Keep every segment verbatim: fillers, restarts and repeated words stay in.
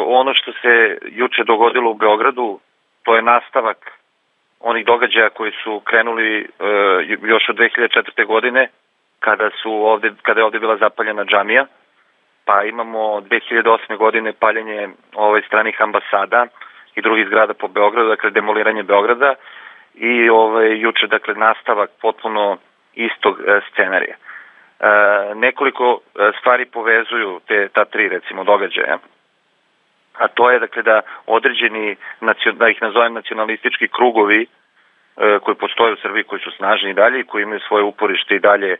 Ono što se juče dogodilo u Beogradu, to je nastavak onih događaja koji su krenuli još od dve hiljade četvrte. godine, kada su ovde, kada je ovde bila zapaljena džamija, pa imamo dve hiljade osme. godine paljenje ovaj, stranih ambasada i drugih zgrada po Beogradu, dakle demoliranje Beograda i ovaj, juče, dakle, nastavak potpuno istog e, scenarija. E, nekoliko stvari povezuju te, ta tri, recimo, događaja, a to je, dakle, da određeni, da ih nazovem nacionalistički krugovi e, koji postoje u Srbiji, koji su snažni i dalje i koji imaju svoje uporište i dalje,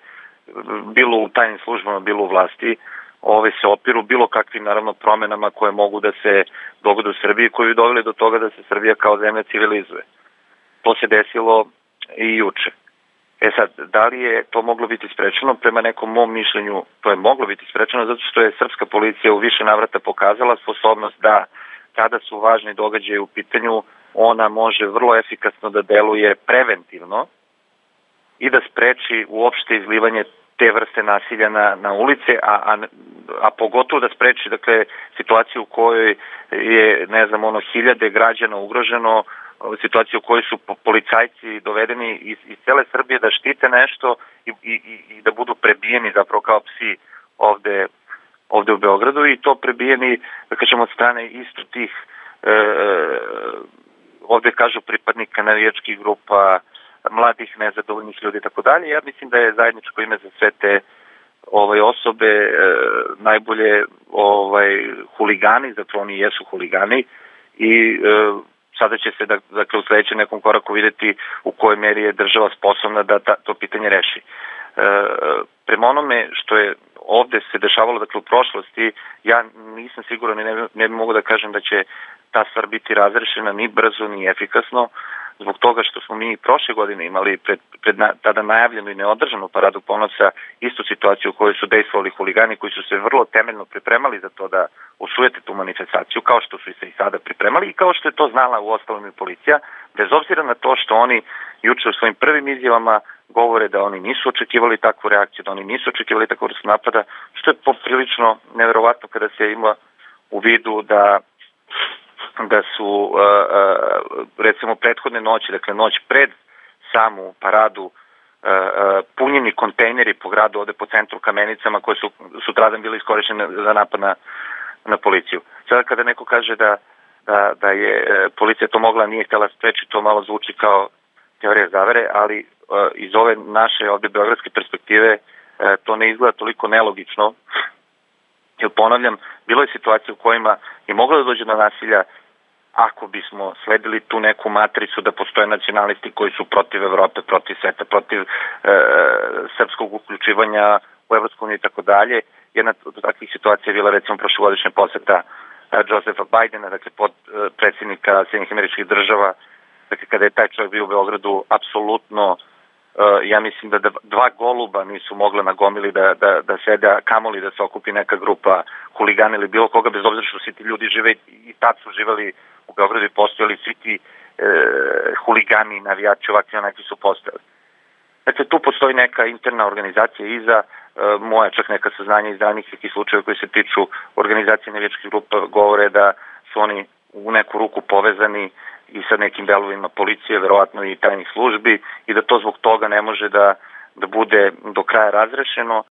bilo u tajnim službama, bilo u vlasti, ove se opiru bilo kakvim, naravno, promenama koje mogu da se dogode u Srbiji, koji bi doveli do toga da se Srbija kao zemlja civilizuje. To se desilo i juče. E sad, da li je to moglo biti sprečeno? Prema nekom mom mišljenju, to je moglo biti sprečeno zato što je srpska policija u više navrata pokazala sposobnost da, kada su važni događaji u pitanju, ona može vrlo efikasno da deluje preventivno i da spreči uopšte izlivanje te vrste nasilja na, na ulice, a, a, a pogotovo da spreči, dakle, situaciju u kojoj je, ne znam, ono, hiljade građana ugroženo, situaciju u kojoj su policajci dovedeni iz, iz cele Srbije da štite nešto i, i, i da budu prebijeni zapravo kao psi ovde, ovde u Beogradu, i to prebijeni, da kažemo, od strane isto tih, e, ovde kažu, pripadnika navijačkih grupa, mladih, nezadovoljnih ljudi i tako dalje. Ja mislim da je zajedničko ime za sve te ovaj, osobe e, najbolje ovaj, huligani, zato oni jesu huligani, i e, sada će se, dakle, u sledećem nekom koraku videti u kojoj meri je država sposobna da ta, to pitanje reši. E, prema onome što je ovde se dešavalo, dakle, u prošlosti, ja nisam siguran i ne, ne mogu da kažem da će ta stvar biti razrešena ni brzo, ni efikasno, zbog toga što smo mi prošle godine imali pred, pred na, tada najavljenu i neodržanu paradu ponosa istu situaciju u kojoj su dejstvovali huligani koji su se vrlo temeljno pripremali za to da osujete tu manifestaciju, kao što su se i sada pripremali i kao što je to znala u ostalom i policija, bez obzira na to što oni juče u svojim prvim izjavama govore da oni nisu očekivali takvu reakciju, da oni nisu očekivali takvu vrstu napada, što je poprilično neverovatno kada se ima u vidu da da su, recimo, prethodne noći, dakle noć pred samu paradu, punjeni kontejneri po gradu ovde po centru Kamenicama koje su sutradan bili iskorišćene za napad na, na policiju. Sada kada neko kaže da, da, da je policija to mogla, nije htjela spreči, to malo zvuči kao teorija zavere, ali iz ove naše ovde beogradske perspektive to ne izgleda toliko nelogično. Jer, ponavljam, bilo je situacija u kojima je moglo da dođe do nasilja ako bismo sledili tu neku matricu da postoje nacionalisti koji su protiv Evrope, protiv sveta, protiv e, srpskog uključivanja u Evropsku uniju i tako dalje. Jedna od takvih situacija je bila, recimo, prošlogodišnja poseta Josepha Bidena, dakle, pod e, predsjednika Sjedinjenih Američkih Država, dakle, kada je taj čovjek bio u Beogradu, apsolutno, e, ja mislim da dva goluba nisu mogla na gomili da, da, da sede, a kamoli da se okupi neka grupa huligana ili bilo koga, bez obzira što svi ti ljudi žive i tad su živali u Beogradu i postojali svi ti e, huligani, navijači, ovakvi onakvi su postojali. Dakle, tu postoji neka interna organizacija iza, e, moja čak neka saznanja iz danih nekih slučajeva koji se tiču organizacije navijačkih grupa govore da su oni u neku ruku povezani i sa nekim delovima policije, verovatno i tajnih službi, i da to zbog toga ne može da, da bude do kraja razrešeno,